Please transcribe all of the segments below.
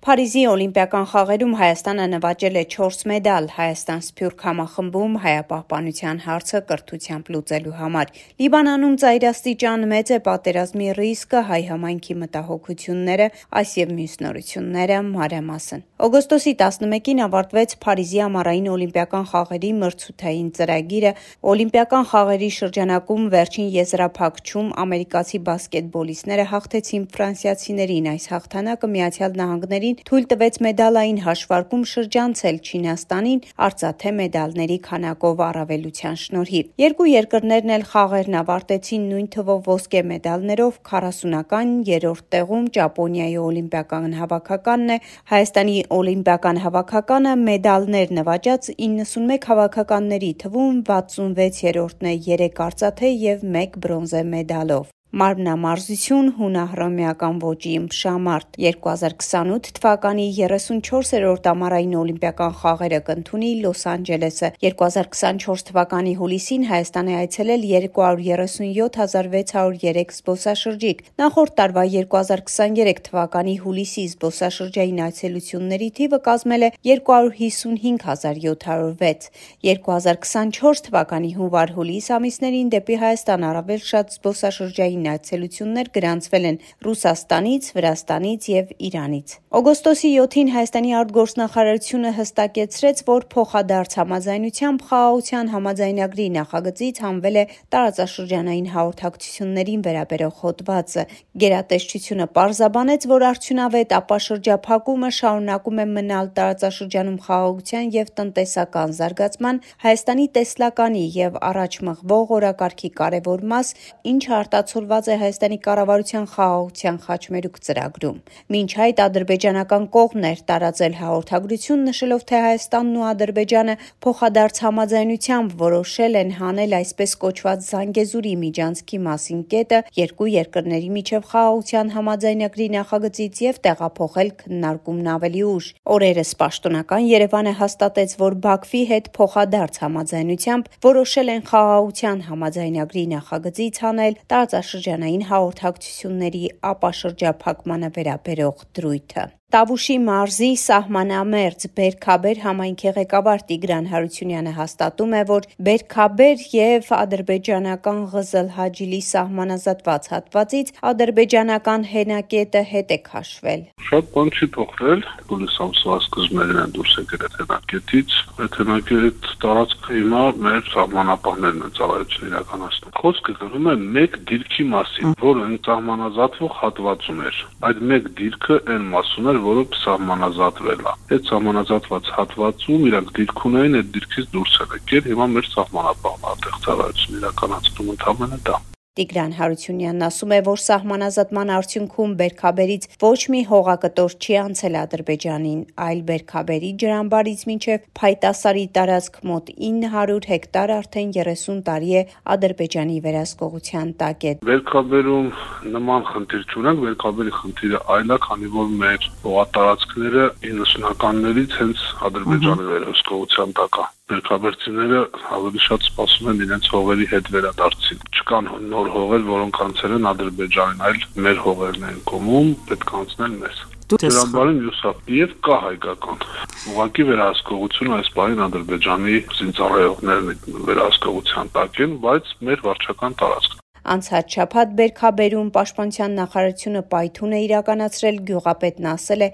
Փարիզի օլիմպիական խաղերում Հայաստանը նվաճել է 4 մեդալ Հայաստան-Սփյուռք համախմբում հայապահպանության հարցը կրթությամբ լուծելու համար։ Լիբանանում ծայրաստիճան մեծ է պատերազմի ռիսկը, հայ համայնքի մտահոգությունները, այս եւ մյուս նորությունները մանրամասն։ Օգոստոսի 11-ին ավարտվեց Փարիզի ամառային օլիմպիական խաղերի մրցութային ծրագիրը։ Օլիմպիական խաղերի շրջանակում վերջին եզրափակչում ամերիկացի բասկետբոլիստները հաղթեցին ֆրանսիացիներին։ Այս հաղթանակը Միացյալ Նահանգներին թույլ տվեց մեդալային հաշվարկում շրջանցել Չինաստանին արծաթե մեդալների քանակով առավելության շնորհիվ։ Երկու երկրներն էլ խաղերն ավարտեցին նույն թվով ոսկե մեդալներով, 40-ական երրորդ տեղում Ճապոնիայի օլիմպիական հավաքականն է, Հայաստանի օլիմպիական հավաքականը մեդալներ նվաճած 91 հավաքականների թվում 66-րդն է 3 արծաթե և 1 բրոնզե մեդալով։ Մարմնամարզություն, հունահռոմեական ոճի ըմբշամարտ 2028 թվականի 34-րդ ամառային օլիմպիական խաղերը կընդունի Լոս Անջելեսը։ 2024 թվականի հուլիսին Հայաստան է այցելել 237,603 զբոսաշրջիկ։ Նախորդ տարվա 2023 թվականի հուլիսի զբոսաշրջային այցելությունների թիվը կազմել է 255,706։ 2024 թվականի հունվար-հուլիս ամիսներին դեպի Հայաստան առավել շատ զբոսաշրջային այցելություններ գրանցվել են Ռուսաստանից, Վրաստանից և Իրանից։ Օգոստոսի 7-ին Հայաստանի արտգործնախարարությունը հստակեցրեց, որ փոխադարձ համաձայնությամբ խաղաղության համաձայնագրի նախագծից հանվել է տարածաշրջանային հաղորդակցություններին վերաբերող հոդվածը։ Գերատեսչությունը պարզաբանեց, որ արդյունավետ ապաշրջափակումը շարունակում է մնալ տարածաշրջանում խաղաղության և տնտեսական զարգացման, Հայաստանի տեսլականի և առաջ մղվող օրակարգի կարևոր մաս, ինչը արտացոլված է Հայաստանի կառավարության խաղաղության խաչմերուկ ծրագրում։ Մինչ այդ ադրբեջանական կողմն էր տարածել հաղորդագրություն, նշելով, թե Հայաստանն ու Ադրբեջանը փոխադարձ համաձայնությամբ որոշել են հանել այսպես կոչված Զանգեզուրի միջանցքի մասին կետը երկու երկրների միջև խաղաղության համաձայնագրի նախագծից և տեղափոխել քննարկումն ավելի ուշ։ Օրերս պաշտոնական Երևանը հաստատեց, որ Բաքվի հետ փոխադարձ համաձայնությամբ որոշել են խաղաղության համաձայնագրի նախագծից հանել տարածաշրջանային հաղորդակցությունների ապաշրջափակմանը վերաբերող դրույթը։ Տավուշի մարզի սահմանամերձ Բերքաբեր համայնքի ղեկավար Տիգրան Հարությունյանը հաստատում է, որ Բերքաբեր և ադրբեջանական Ղզըլ-Հաջիլի սահմանազատված հատվածից ադրբեջանական հենակետը հետ է քաշվել։ Շատ բան չի փոխվել, հուլիս ամսվա սկզբներն են դուրս եկել այդ հենակետից։ Այդ հենակետ տարածքը հիմա մեր սահմանապահներն են ծառայություն իրականացնում։ Խոսքը գնում է մեկ դիրքի մասին, որը սահմանազատվող հատվածում էր։ Այդ մեկ դիրքը այն մասում էր, որը սահմանազատվել է։ Այդ սահմանազատված հատվածում իրանք դիրք ունեին, այդ դիրքից դուրս են եկել, հիմա մեր սահմանապահն այդտեղ ծառայություն իրականացնում ընդհանրապես դա։ Տիգրան Հարությունյանն ասում է, որ սահմանազատման արդյունքում Բերքաբերից ոչ մի հողակտոր չի անցել Ադրբեջանին, այլ Բերքաբերի ջրամբարից մինչև Փայտասարի տարածք մոտ 900 հեկտար արդեն 30 տարի է Ադրբեջանի վերահսկողության տակ է։ Բերքաբերում նման խնդիր չունենք, Բերքաբերի խնդիրը այլ է, քանի որ մեր հողատարածքները 90-ականներից հենց Ադրբեջանի վերահսկողության տակ է։ Բերքաբերցիները ավելի շատ սպասում են իրենց հողերի հետ վերադարձին։ Չկան նոր հողեր, որոնք անցել են Ադրբեջանին, այլ մեր հողերն են կոմում, պետք է անցնել մեզ։ Ջրամբարը մյուսափ եւ կա հայկական։ Ուղղակի վերահսկողությունը այս բանին Ադրբեջանի զինծառայողներն վերահսկողության տակ են, բայց մեր վարչական տարածք։ Անցած շաբաթ Բերքաբերում Պաշտպանության նախարարությունը պայթուն է իրականացրել, գյուղապետն ասել է,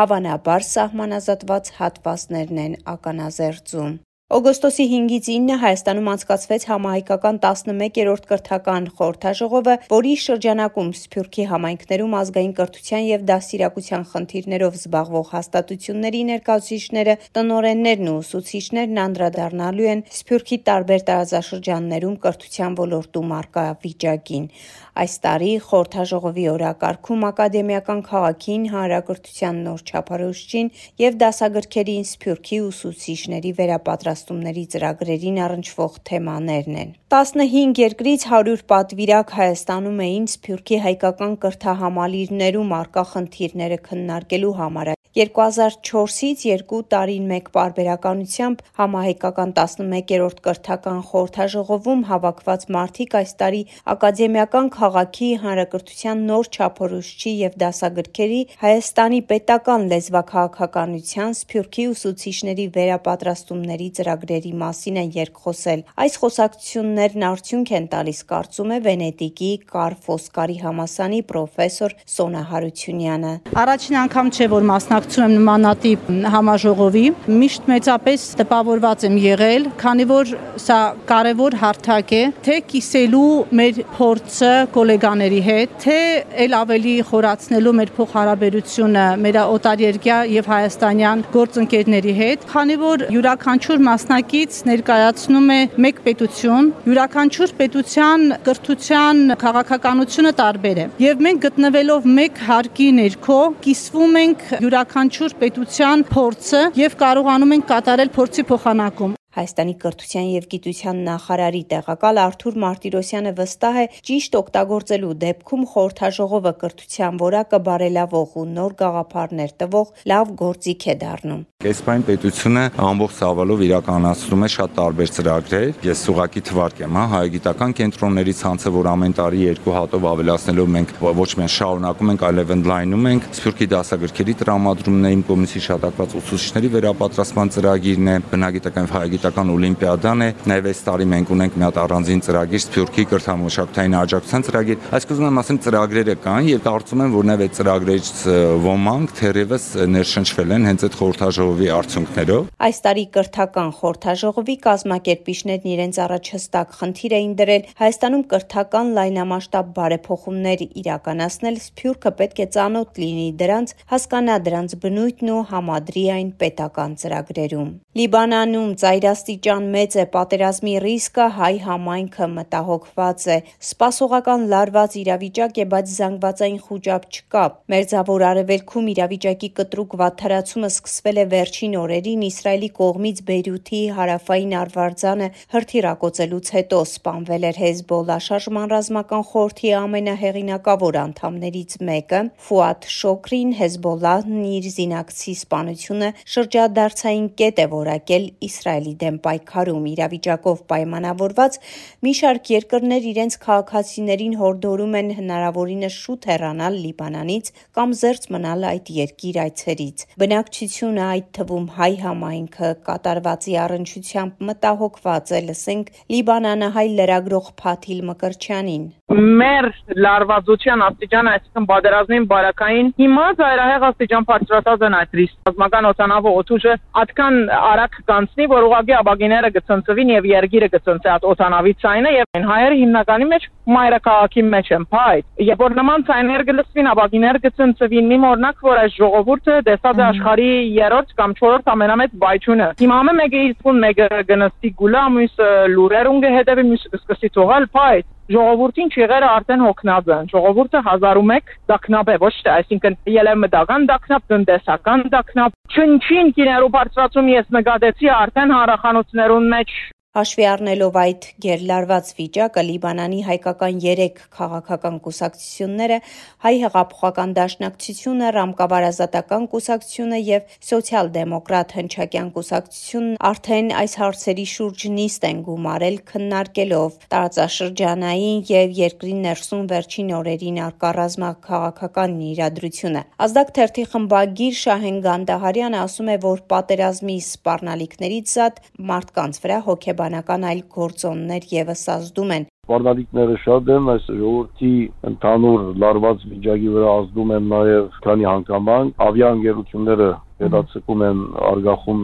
հավանաբար սահմանազատված հատվածներն են ականազերծում։ Օգոստոսի 5-ից 9 Հայաստանում անցկացվեց համահայկական 11-րդ կրթական խորհրդաժողովը, որի շրջանակում Սփյուռքի համայնքներում ազգային կրթության և դաստիարակության խնդիրներով զբաղվող հաստատությունների ներկայացուցիչները, տնօրեններն ու ուսուցիչներն անդրադառնալու են Սփյուռքի տարբեր տարածաշրջաններում կրթության ոլորտում առկա վիճակին։ Այս տարի խորհրդաժողովի օրակարգում ակադեմիական քաղաքին, հանրակրթության նոր չափորոշիչին և դասագրքերին Սփյուռքի ուսուցիչների վերապատրաստումների ծրագրերին առնչվող թեմաներն են։ 15 երկրից 100 պատվիրակ Հայաստանում էին Սփյուռքի հայկական կրթահամալիրներում առկա խնդիրները քննարկելու համար։ 2004-ից 2 տարին մեկ պարբերականությամբ համահայկական 11-րդ կրթական խորհրդաժողովում հավաքված մարդիկ այս տարի ակադեմիական քաղաքի, հանրակրթության նոր չափորոշիչի և դասագրքերի, Հայաստանի պետական լեզվաքաղաքականության, Սփյուռքի ուսուցիչների վերապատրաստումների ծրագրերի մասին են երկխոսել։ Այս խոսակցություններն արդյունք են տալիս, կարծում է Վենետիկի Կար Ֆոսկարի համալսարանի պրոֆեսոր Սոնա Հարությունյանը։ Առաջին անգամ չէ, որ մասնակցում եմ նմանատիպ համաժողովի, միշտ մեծապես տպավորված եմ եղել, քանի որ սա կարևոր հարթակ է, թե կիսելու մեր փորձը գոլեգաների հետ, թե ել ավելի խորացնելու մեր փոխհարաբերությունը մեր օտարերկրյա եւ հայաստանյան գործընկերների հետ, քանի որ յուրաքանչյուր մասնակից ներկայացնում է մեկ պետություն, յուրաքանչյուր պետության կրթության քաղաքականությունը տարբեր է։ Եվ մենք գտնվելով մեկ հարկի ներքո կիսվում ենք յուրաքանչյուր պետության փորձը եւ կարողանում ենք կատարել փորձի փոխանակում։ Հայաստանի կրթության և գիտության նախարարի տեղակալ Արթուր Մարտիրոսյանը վստահ է, ճիշտ օգտագործելու դեպքում խորհրդաժողովը կրթության որակը բարելավող ու նոր գաղափարներ տվող լավ գործիք է դառնում։ Կեսպային պետությունը ամբողջ ծավալով իրականացնում է շատ տարբեր ծրագրեր։ Ես ուղղակի թվարկեմ, հայագիտական կենտրոնների ցանցը, որ ամեն տարի 2 հատով ավելացնելով մենք ոչ միայն շարունակում ենք, այլև ընդլայնում ենք, Սփյուռքի դասագրքերի տրամադրումն է, իմ կողմից հիշատակված ուսուցիչների վերապատրաստման ծրագիրն է, բնագիտական եւ հայագիտական օլիմպիադան է, նաեւ այս տարի մենք ունենք մի հատ առանձին ծրագիր Սփյուռքի կրթամշակութային աջակցության ծրագիր։ Այսինքն ուզում եմ ասեմ ծրագրերը կան եւ կարծում եմ, որ նաեւ այդ ծրագրերից ոմանք թերևս ներշնչվել են հենց այդ խորհրդաժողովի արդյունքներով։ Այս տարի կրթական խորհրդաժողովի կազմակերպիչներն իրենց առաջ հստակ խնդիր էին դրել Հայաստանում կրթական լայնամասշտաբ բարեփոխումներ իրականացնել, Սփյուռքը պետք է ծանոթ լինի դրանց, հասկանա դրանց բնույթն ու համադրի այն պետական ծրագրերում։ Լիբանանում ծայրաստիճան մեծ է պատերազմի ռիսկը, հայ համայնքը մտահոգված է։ Սպասողական լարված իրավիճակ է, բայց զանգվածային խուճապ չկա։ Մերձավոր Արևելքում իրավիճակի կտրուկ վատթարացումը սկսվել է վերջին օրերին Իսրայելի կողմից Բեյրութի հարավային արվարձանը հրթիռակոծելուց հետո սպանվել էր Հեզբոլլա շարժման ռազմական խորհրդի ամենահեղինակավոր անդամներից մեկը Ֆուադ Շոքրին Հեզբոլլահն իր զինակցի սպանությունը շրջադարձային կետ է որակել Իսրայելի դեմ պայքարում։ Իրավիճակով պայմանավորված մի շարք երկրներ իրենց քաղաքացիներին հորդորում են հնարավորինս շուտ հեռանալ Լիբանանից կամ զերծ մնալ այդ երկիր այցերից։ Բնակչությունը, այդ թվում հայ համայնքը կատարվածի առնչությամբ մտահոգված է, լսենք լիբանանահայ լրագրող Փաթիլ Մկրտչյանին։ Մեր լարվածության աստիճանը, այսինքն պատերազմին բարակային հիմա ծայրահեղ աստիճան բարձրացած են այդ ռիսկ։ Ռազմական օդանավը օդուժը այդքան արագ կանցնի, որ ուղղակի աբագիները գծնծվին եւ երգիրը գծնծի այդ օդանավի ցայնը եւ այն հայերը հիմնականի մեջ մայրաքաղաքի մեջ են փայտ։ Երբ որ նման ցայներ գլսվին, աբագիները գծնծվին, մի օրինակ որ այս ժողովուրդը դեսած է աշխարհի 3-րդ կամ 4-րդ ամենամեծ բայչունը։ Հիմա մեկը իսկուն մեկը գնստի գուլա, մյուսը լուրերուն գհետեւի, մյուսը սկսի թողալ փայտ։ Ժողովրդին չեղերը արդեն հոգնած են։ Ժողովուրդը 1001 դակնապ է, ոչ թե, այսինքն ելեմտական դակնապ, տնտեսական դակնապ, չնչին կիներու բարձրացում ես նկատեցի արդեն հանրախանութներուն մեջ։ Հաշվի առնելով այդ գերլարված վիճակը, Լիբանանի հայկական 3 քաղաքական կուսակցությունները, Հայ հեղափոխական դաշնակցությունը, Ռամկավար-Ազատական կուսակցությունը եւ Սոցիալ-դեմոկրատ հնչակյան կուսակցությունն արդեն այս հարցերի շուրջ նիստ են գումարել, քննարկելով տարածաշրջանային եւ երկրի ներսում վերջին օրերին արկա ռազմաքաղաքական իրադրությունը։ Ազդակ թերթի խմբագիր Շահեն Գանդահարյանը ասում է, որ պատերազմի սպառնալիքներից զատ մարդկանց վրա հոգեբանական այլ գործոններ եւս ազդում են։ Սպառնալիքները շատ են, այս ժողովրդի ընդհանուր լարված վիճակի վրա ազդում են նաև քանի հանգամանք, ավիաընկերությունները հետաձգում են արգախում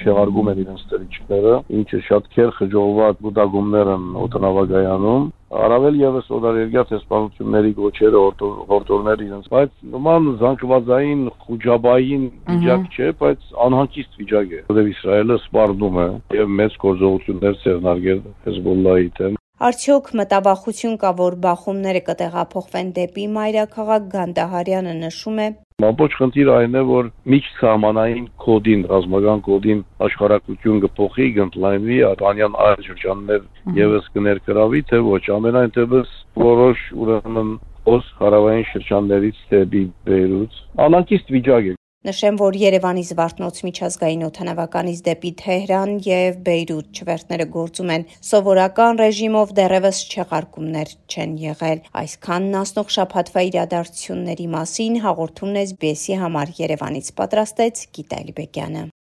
չեղարկում են իրենց ծրիչները, ինչը շատ քեր խժողված բուդագումներ են օդանավակայանում, առավել եւս օտարերկրյա տեսփանությունների գոչերը հորդորներ իրենց, բայց նման զանգվածային խուճապային վիճակ չէ, բայց անհանգիստ վիճակ է, որովհետեւ Իսրայելը սպառնում է եւ մեծ գործողություններ ձեռնարկել Հեզբոլլայի դեմ։ Արդյոք մտավախություն կա, որ բախումները կտեղափոխվեն դեպի մայրաքաղաք, Գանդահարյանը նշում է։ Ամբողջ խնդիրը այն է, որ միջսահմանային կոդին, ռազմական կոդին աշխարհակություն կփոխի, կընդլայնվի, Ալբանիան այլ շրջաններ եւս կներկրավի, թե ոչ, ամենայն դեպս որոշ ուրեմն հարավային շրջաններից դեպի Բեյրութ անհանգիստ վիճակ է։ Նշեմ, որ Երևանի Զվարթնոց միջազգային օդանավականից դեպի Թեհրան եւ Բեյրութ չվերթները գործում են սովորական ռեժիմով, դեռևս չեղարկումներ չեն եղել։ Այսքանն անցնող շաբաթվա իրադարձությունների մասին հաղորդումն SBS-ի համար Երևանից պատրաստեց Գիտա Էլիբեկյանը։